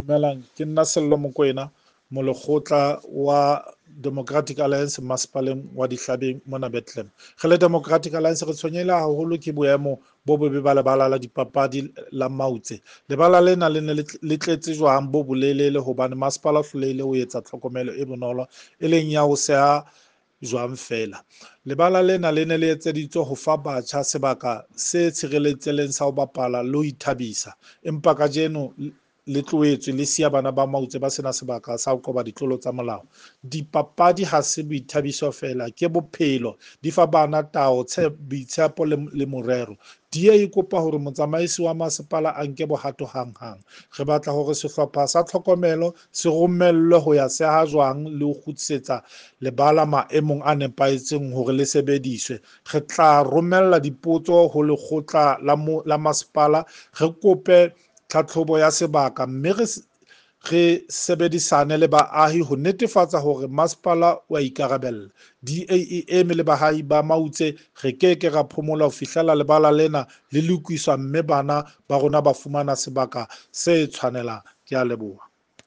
Dumelang, ke nna Sello Mokoena, molekgotla wa Democratic Alliance masepaleng wa Dihlabeng mona Bethlehem. Re le Democratic Alliance re tshwenyehile haholo ke boemo bo bobe ba lebala la dipapadi la Mautse. Lebala lena le ne le tletse jwang bo bolelele hobane masepala o hlolehile ho etsa tlhokomelo e bonolo e leng ya ho seha jwang feela. Lebala lena le ne le etseditswe ho fa batjha sebaka se tshireletsehileng sa ho bapala le ho ithabisa. Empa kajeno le tlohetswe le siya bana ba Mautse ba sena sebaka sa ho qoba ditlolo tsa molao. Dipapadi ha se boithabiso feela, ke bophelo. Di fa bana tao, boitshepo le morero. DA e kopa hore motsamaisi wa masepala a nke bohato hanghang. Re batla hore sehlopha sa tlhokomelo se romellwe ho ya seha jwang le ho kgutlisetsa lebala maemong a nepahetseng hore le sebediswe. Re tla romella dipotso ho lekgotla la masepala, re kope tlhatlhobo ya sebaka mme re sebedisane le baahi ho netefatsa hore masepala o a ikarabella. DA e eme le baahi ba Mautse, re ke ke ra phomola ho fihlela lebala lena le lokiswa mme bana ba rona ba fumana sebaka se tshwanelang. Ke a leboha.